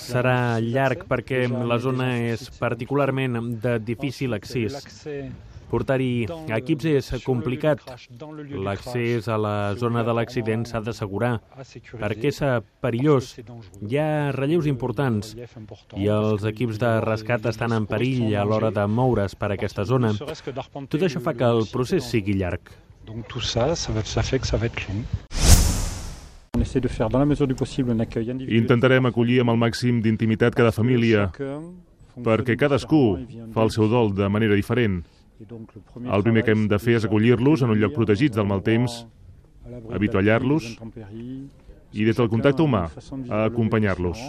Serà llarg perquè la zona és particularment de difícil accés. Portar-hi equips és complicat. L'accés a la zona de l'accident s'ha d'assegurar, perquè és perillós. Hi ha relleus importants i els equips de rescat estan en perill a l'hora de moure's per aquesta zona. Tot això fa que el procés sigui llarg. Intentarem acollir amb el màxim d'intimitat cada família, perquè cadascú fa el seu dol de manera diferent. El primer que hem de fer és acollir-los en un lloc protegit del mal temps, avituallar-los i des del contacte humà, acompanyar-los.